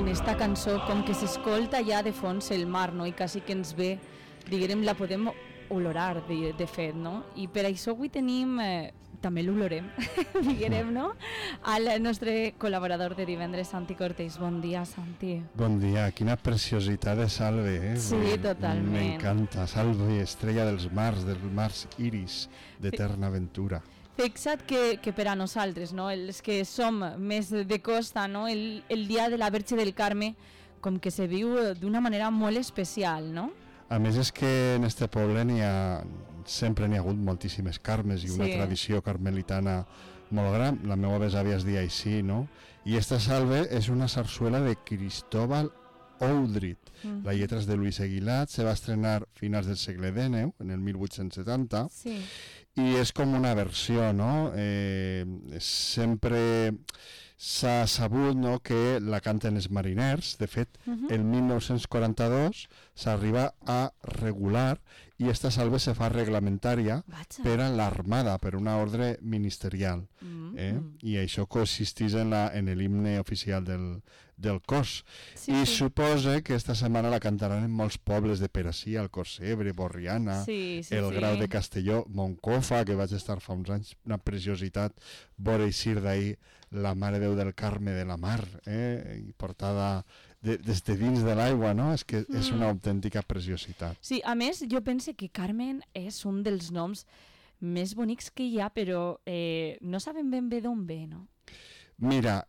en esta cançó com que s'escolta ja de fons el mar, no? I quasi que ens ve, diguem, la podem olorar de fet, no? I per això avui tenim, també l'olorem, diguem, no? Al nostre col·laborador de divendres, Santi Cortés. Bon dia, Santi. Bon dia, quina preciositat de Salve, eh? Sí, totalment. M'encanta, Salve, estrella dels mars iris d'eterna aventura. Fixa't que per a nosaltres, no? Els que som més de costa, no? El dia de la Verge del Carme com que se viu d'una manera molt especial, no? A més és que en este poble sempre n'hi ha hagut moltíssimes carmes i una tradició carmelitana molt gran. La meva besàvia es deia així, no? I esta Salve és una sarsuela de Cristóbal Oudrit. La lletra és de Luis Aguilat, se va estrenar a finals del segle XIX, en el 1870, i és com una versió, no? Sempre s'ha sabut, no, que la canten els mariners. De fet, el 1942 s'arriba a regular i esta salve se fa reglamentària per a l'armada, per una ordre ministerial. I això consisteix en l'himne oficial del cos. I suposa que esta setmana la cantaran en molts pobles de Perací, Alcocebre, Borriana, el Grau de Castelló, Moncofa, que vaig estar fa uns anys, una preciositat, vora eixir d'ahir la Mare Déu del Carme de la Mar, i portada des de dins de l'aigua, no? És que és una autèntica preciositat. Sí, a més, jo penso que Carmen és un dels noms més bonics que hi ha, però no sabem ben bé d'on ve, no? Mira,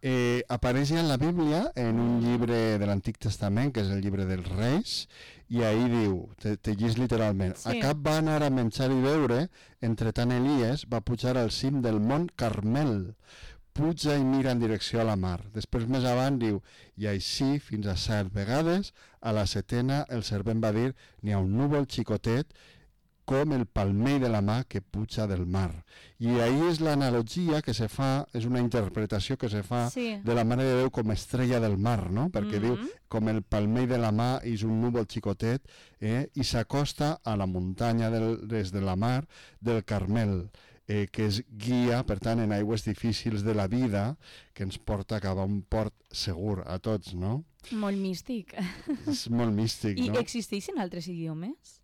apareix ja en la Bíblia, en un llibre de l'Antic Testament, que és el llibre dels Reis, i ahí diu, te llis literalment, Acab va anar a menjar i beure, entretant Elies va pujar al cim del mont Carmel, puja i mira en direcció a la mar. Després més avant diu, i així fins a 7 vegades, a la 7ª el servent va dir, n'hi ha un núvol xicotet com el palmell de la mà que puja del mar. I ahí és l'analogia que se fa, és una interpretació que se fa de la Mare de Déu com estrella del mar, no? Perquè diu, com el palmell de la mà és un núvol xicotet, i s'acosta a la muntanya des de la mar del Carmel, que és guia, per tant, en aigües difícils de la vida, que ens porta cap a un port segur a tots, no? Molt místic. És molt místic, no? I existeixen altres idiomes?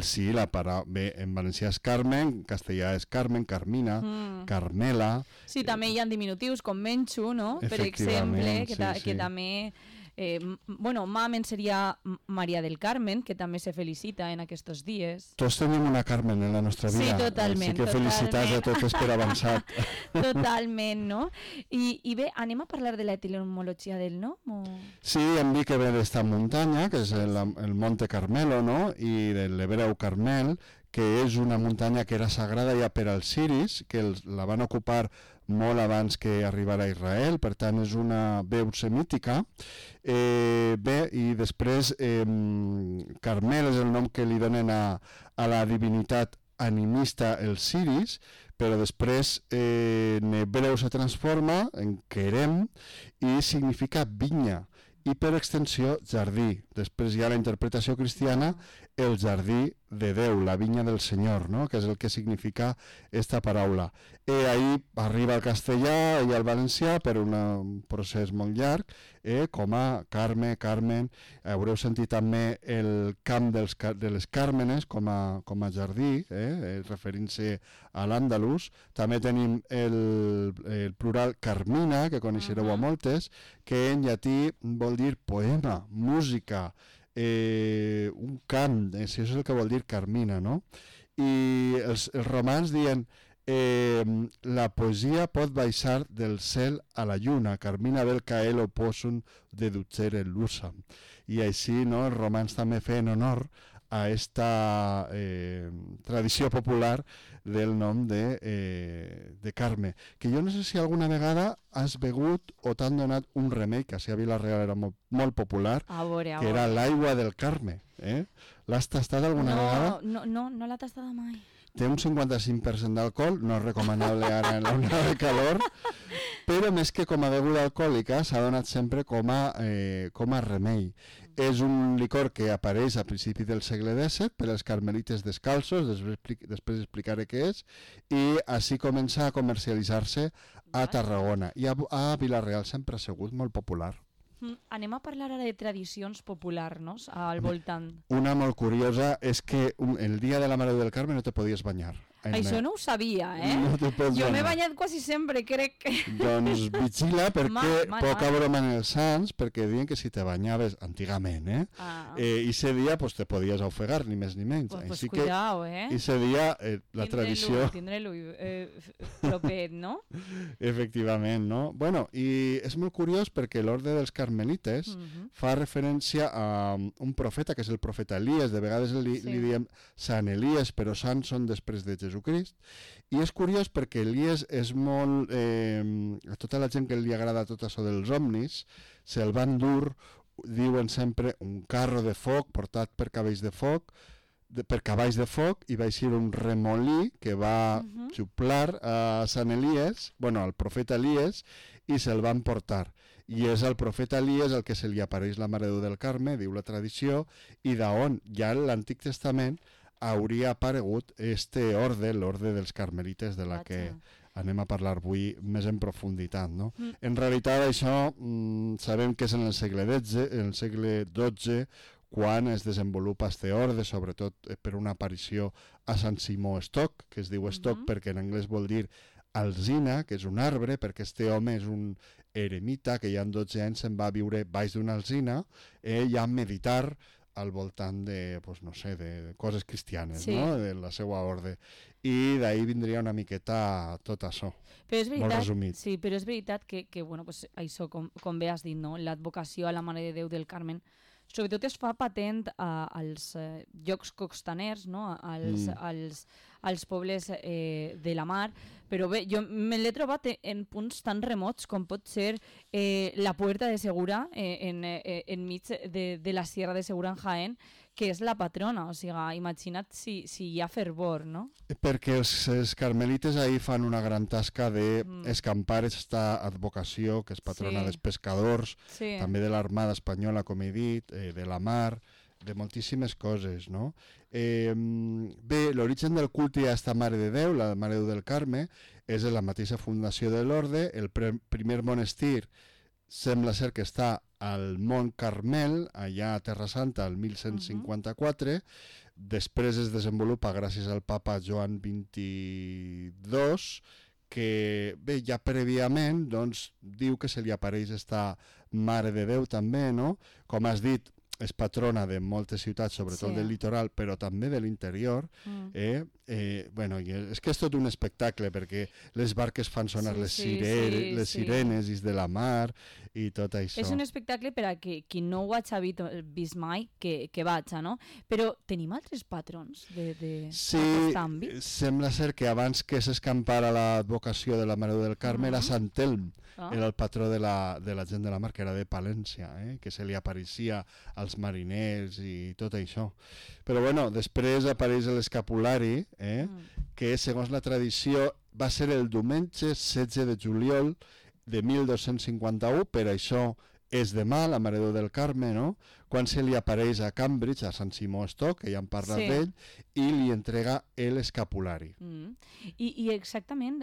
Sí, la paraula... Bé, en valencià és Carmen, en castellà és Carmen, Carmina, Carmela... Sí, també hi ha diminutius com Menxu, no? Per exemple, que també... bueno, Mamen seria Maria del Carmen, que també se felicita en aquests dies. Tots tenim una Carmen en la nostra vida. Sí, totalment. Així que felicitats a totes per avançat. Totalment, no? I bé, anem a parlar de l'etimologia del nom? Sí, em dic que ve d'esta muntanya, que és el Monte Carmelo, no? I de l'hebreu Carmel, que és una muntanya que era sagrada ja per als siris, que la van ocupar molt abans que arribara a Israel, per tant és una veu semítica. Bé, i després Carmel és el nom que li donen a la divinitat animista els siris, però després en hebreu se transforma en Kerem i significa vinya, i per extensió jardí. Després hi ha la interpretació cristiana, el jardí de Déu, la vinya del Senyor, no? Que és el que significa esta paraula. Ahí arriba al castellà i al valencià per un procés molt llarg, com a Carme, Carmen. Haureu sentit també el camp de les Càrmenes com a jardí, referint-se a l'Àndalus. També tenim el plural Carmina, que coneixereu a moltes, que en llatí vol dir poema, música, un cant, això és el que vol dir Carmina, no? I els romans diuen la poesia pot baixar del cel a la lluna, Carmina vel caelo possum deducere l'usam. I així, no, els romans també feien honor a esta tradició popular del nom de Carme, que jo no sé si alguna vegada has begut o t'han donat un remei, que a Vila-real era molt popular, que era l'aigua del Carme. L'has tastat alguna vegada? No l'ha tastada mai. Té un 55% d'alcohol, no és recomanable ara en l'onada de calor, però més que com a beguda alcohòlica s'ha donat sempre com a remei. És un licor que apareix a principi del segle XVII per als carmelites descalços, després explicaré què és, i així comença a comercialitzar-se a Tarragona. I a Vila-real sempre ha sigut molt popular. Anem a parlar ara de tradicions populars, no? Al voltant. Una molt curiosa és que el dia de la Mare del Carme no te podies banyar. Això no ho sabia, No te pots Jo m'he banyar. banyat quasi sempre, crec. Doncs vigila perquè Mal. poca broma en els sants, perquè diuen que si te banyaves antigament, i ese dia pues, te podies ofegar, ni més ni menys. Pues Així cuidao, que ese dia la tradició... Tindre-lo propet, no? Efectivament, no? Bueno, i és molt curiós perquè l'orde dels carmelites fa referència a un profeta, que és el profeta Elies, de vegades li diem Sant Elies, però sants són després de Jesucrist, i és curiós perquè Elies és molt... a tota la gent que li agrada tot això dels omnis, se'l van dur, diuen sempre, un carro de foc portat per cavalls de foc, i va eixir un remolí que va xuplar a Sant Elies, al profeta Elies, i se'l van portar. I és al profeta Elies el que se li apareix la Mare de Déu del Carme, diu la tradició, i d'on ja en l'Antic Testament hauria aparegut orde, l'orde dels carmelites, de la que anem a parlar avui més en profunditat. No? En realitat això sabem que és en el segle XII, quan es desenvolupa este orde, sobretot per una aparició a Sant Simó Stock, que es diu Stock perquè en anglès vol dir alzina, que és un arbre, perquè este home és un eremita que ja en 12 anys se'n va a viure baix d'una alzina i a meditar al voltant de, pues, no sé, de coses cristianes, no? De la seva orde. I d'ahir vindria una miqueta tot això, molt resumit. Sí, però és veritat que bueno, pues, això, com bé has dit, no? L'advocació a la Mare de Déu del Carmen, sobretot es fa patent als llocs costaners, no? als pobles de la mar, però bé, jo me l'he trobat en punts tan remots com pot ser la Puerta de Segura, enmig de la Sierra de Segura en Jaén, que és la patrona, o sigui, imagina't si hi ha fervor, no? Perquè els carmelites ahir fan una gran tasca d'escampar aquesta advocació, que és patrona dels pescadors, també de l'Armada Espanyola, com he dit, de la mar, de moltíssimes coses, no? Bé, l'origen del culte a esta Mare de Déu, la Mare de Déu del Carme, és la mateixa fundació de l'orde. El primer monestir sembla ser que està al Mont Carmel, allà a Terra Santa, el 1154, després es desenvolupa gràcies al papa Joan XXII, que bé, ja prèviament doncs, diu que se li apareix esta Mare de Déu també, no? Com has dit, és patrona de moltes ciutats, sobretot del litoral, però també de l'interior. Bueno, és que és tot un espectacle, perquè les barques fan sonar les sirenes de la mar i tot això. És un espectacle per a qui no ho hagi vist mai, que vaig, no? Però tenim altres patrons d'aquest àmbit? Sí, sembla ser que abans que s'escampara l'advocació de la Mare del Carme era Sant Telm, era el patró de la gent de la mar, que era de Palència, que se li apareixia als mariners i tot això. Però bueno, després apareix l'escapulari, que segons la tradició va ser el diumenge 16 de juliol de 1251, per això és demà, la Mare de Déu del Carme, no? Quan se li apareix a Cambridge, a Sant Simó Stock, que ja hem parlat d'ell, i li entrega l'escapulari. I exactament,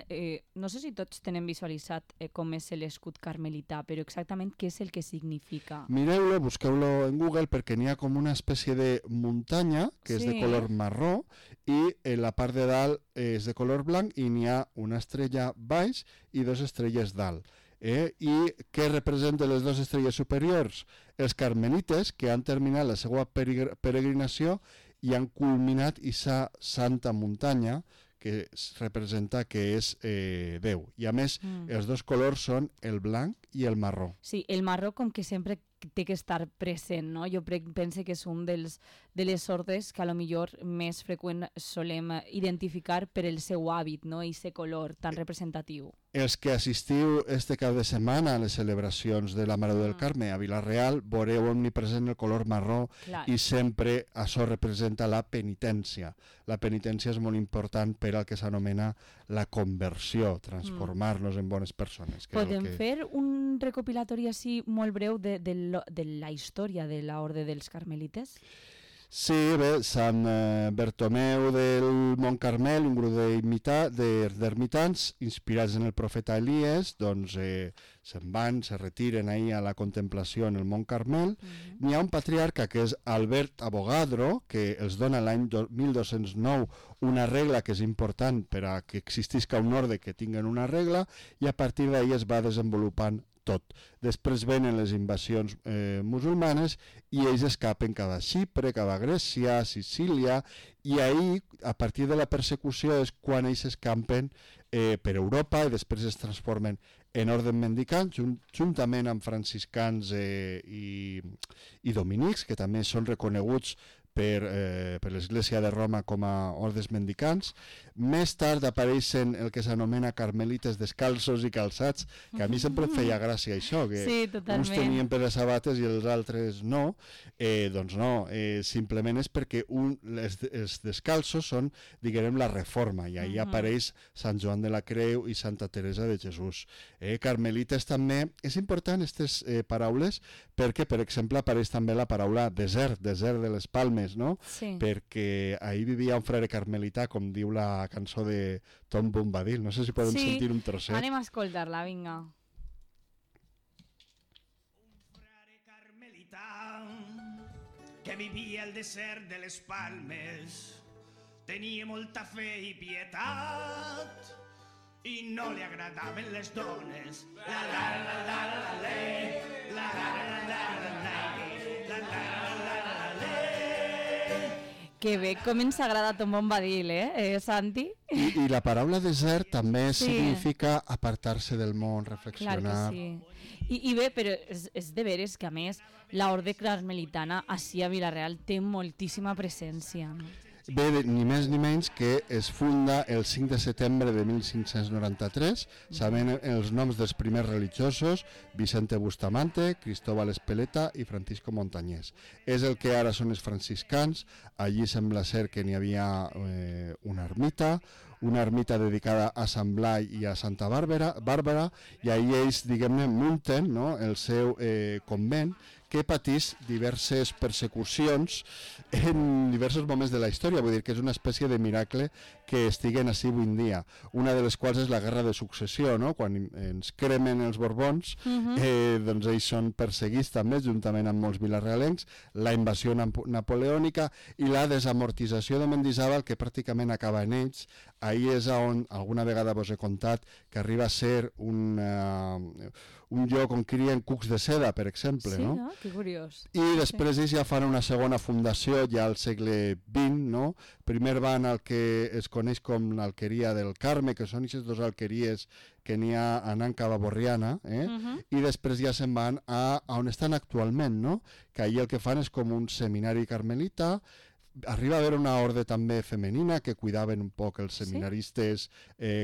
no sé si tots tenen visualitzat com és l'escut carmelità, però exactament què és el que significa? Mireu-lo, busqueu-lo en Google, perquè n'hi ha com una espècie de muntanya, que és de color marró, i la part de dalt és de color blanc, i n'hi ha una estrella baix i dues estrelles dalt. I què representen les dues estrelles superiors? Els carmelites, que han terminat la seva peregrinació i han culminat aquesta santa muntanya, que representa que és Déu. I a més, els dos colors són el blanc i el marró. Sí, el marró com que sempre té que estar present, no? Jo penso que és un de les ordes que a lo millor més freqüent solem identificar per el seu hàbit, no? I aquest color tan representatiu. Els que assistiu este cap de setmana a les celebracions de la Mare del Carme a Vila-real veureu omnipresent el color marró. Clar. I sempre això representa la penitència. La penitència és molt important per al que s'anomena la conversió, transformar-nos en bones persones. Podem fer un recopilatori així molt breu de la història de l'Orde dels Carmelites? Sí, bé, Sant Bertomeu del Mont Carmel, un grup d'ermitans inspirats en el profeta Elies, doncs se'n van, se retiren ahir a la contemplació en el Mont Carmel. N'hi ha un patriarca que és Albert Avogadro, que els dona l'any 1209 una regla que és important per a que existisca un ordre que tinguen una regla, i a partir d'ahir es va desenvolupant tot. Després venen les invasions musulmanes i ells escapen cap a Xipre, cap a Grècia, Sicília, i ahir, a partir de la persecució, és quan ells escampen per Europa i després es transformen en orden mendicant, juntament amb franciscans i dominics, que també són reconeguts per l'Església de Roma com a ordes mendicants. Més tard apareixen el que s'anomena carmelites descalços i calçats, que a mi sempre em feia gràcia això, que uns tenien per les sabates i els altres no. Doncs no, simplement és perquè els descalços són, diguem, la reforma, i ahir apareix Sant Joan de la Creu i Santa Teresa de Jesús. Carmelites també, és important aquestes paraules, perquè, per exemple, apareix també la paraula desert de les Palmes, no? Sí. Perquè ahir vivia un frare carmelità, com diu la cançó de Tom Bombadil. No sé si podem sentir un trosset. Anem a escoltar-la, vinga. Un frare carmelità que vivia al desert de les Palmes tenia molta fe i pietat i no li agradaven les dones. La la la la la la la la la la la la la. Que bé, com ens agrada Tom Bombadil, Santi? I la paraula desert també significa apartar-se del món, reflexionar. Clar que sí. I bé, però és de veres que, a més, l'orde carmelitana ací a Vila-real té moltíssima presència, no? Bé, ni més ni menys que es funda el 5 de setembre de 1593, sabent els noms dels primers religiosos, Vicente Bustamante, Cristóbal Espeleta i Francisco Montañés. És el que ara són els franciscans. Allí sembla ser que n'hi havia una ermita dedicada a Sant Blai i a Santa Bàrbara, i ahir ells, diguem-ne, munten, no?, el seu convent, que patís diverses persecucions en diversos moments de la història. Vull dir que és una espècie de miracle que estiguen així avui en dia. Una de les quals és la guerra de successió, no? Quan ens cremen els Borbons, doncs ells són perseguits també, juntament amb molts vilarealencs, la invasió napoleònica i la desamortització de Mendizábal, que pràcticament acaba en ells. Ahir és on alguna vegada vos he contat que arriba a ser un lloc on crien cucs de seda, per exemple. Sí, no? no? Que curiós. I després ells ja fan una segona fundació ja al segle XX, no? Primer van al que es coneix com l'Alqueria del Carme, que són aquestes dues alqueries que n'hi ha anant cap a Borriana, i després ja se'n van a on estan actualment, no? Que allà el que fan és com un seminari carmelita. Arriba a haver una orde també femenina que cuidaven un poc els seminaristes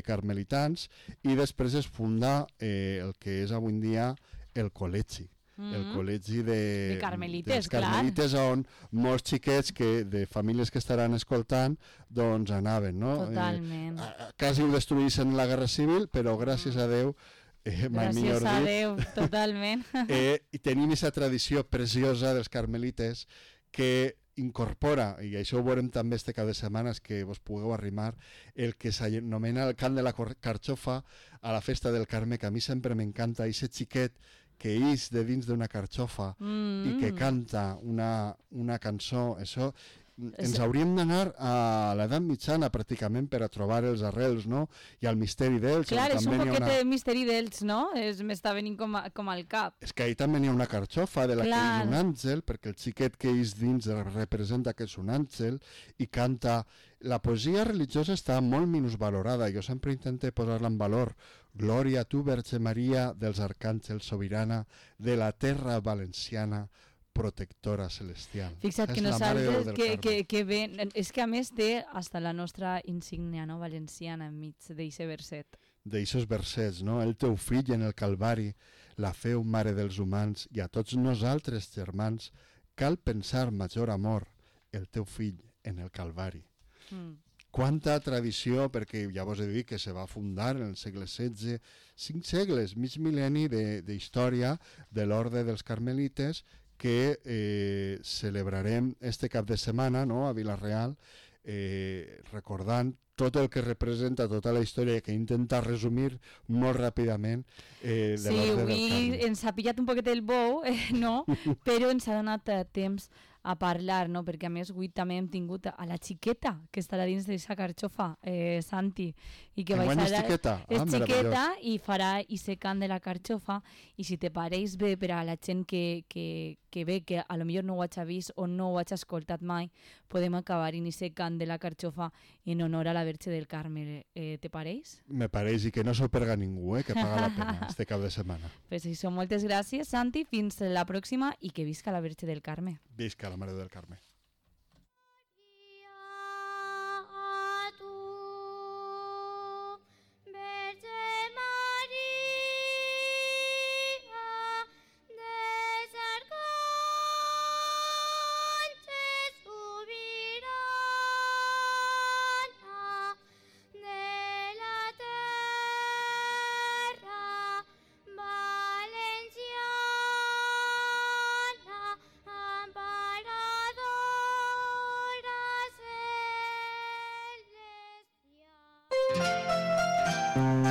carmelitans, i després es funda el que és avui en dia el col·legi. El col·legi de carmelites, carmelites, on molts xiquets de famílies que estaran escoltant doncs anaven, no? Totalment. Quasi ho destruïssin la Guerra Civil, però gràcies a Déu, gràcies a Déu, totalment. I tenim aquesta tradició preciosa dels carmelites que incorpora, i això ho veurem també este cap de setmanes que vos pugueu arrimar, el que s'anomena el cant de la carxofa a la festa del Carme, que a mi sempre m'encanta, aquest xiquet que ix de dins d'una carxofa i que canta una cançó. Això ens hauríem d'anar a l'edat mitjana pràcticament per a trobar els arrels, no? I el misteri d'ells. Clar, és un poquet de misteri d'ells, no? M'està venint com al cap. És que ahir també n'hi ha una carxofa de la que és un àngel, perquè el xiquet que és dins representa que és un àngel i canta. La poesia religiosa està molt minusvalorada. Jo sempre intento posar-la en valor. Glòria a tu, Verge Maria, dels arcàngels, sobirana de la terra valenciana, protectora celestial. Fixa't que nosaltres, que bé, és que a més té hasta la nostra insígnia, no?, valenciana enmig d'eixe verset. D'eixos versets, no? El teu fill en el Calvari, la feu mare dels humans, i a tots nosaltres, germans, cal pensar major amor, el teu fill en el Calvari. Quanta tradició, perquè ja vos he dit que se va fundar en el segle XVI, 5 segles, mig mil·lenni d'història de l'orde dels carmelites, que celebrarem este cap de setmana, no?, a Vila-real, recordant tot el que representa tota la història, que intenta resumir molt ràpidament Sí, l'Orde del avui Carme. ens ha pillat un poquet el bou, no? Però ens ha donat temps a parlar, no? Perquè a més avui també hem tingut a la xiqueta que estarà dins d'aquesta carxofa, Santi, i que Enguany és xiqueta? és xiqueta meravellós. i farà ese cant de la carxofa, i si te pareix bé per a la gent que ve, que a lo millor no ho hagi vist o no ho hagi escoltat mai, podem acabar en ese cant de la carxofa en honor a la Verge del Carme. Te pareix? Me pareix, i que no s'ho perga ningú, que paga la pena este cap de setmana. Pues això, moltes gràcies, Santi, fins la pròxima i que visca la Verge del Carme. Visca la Mare del Carme. Celestia.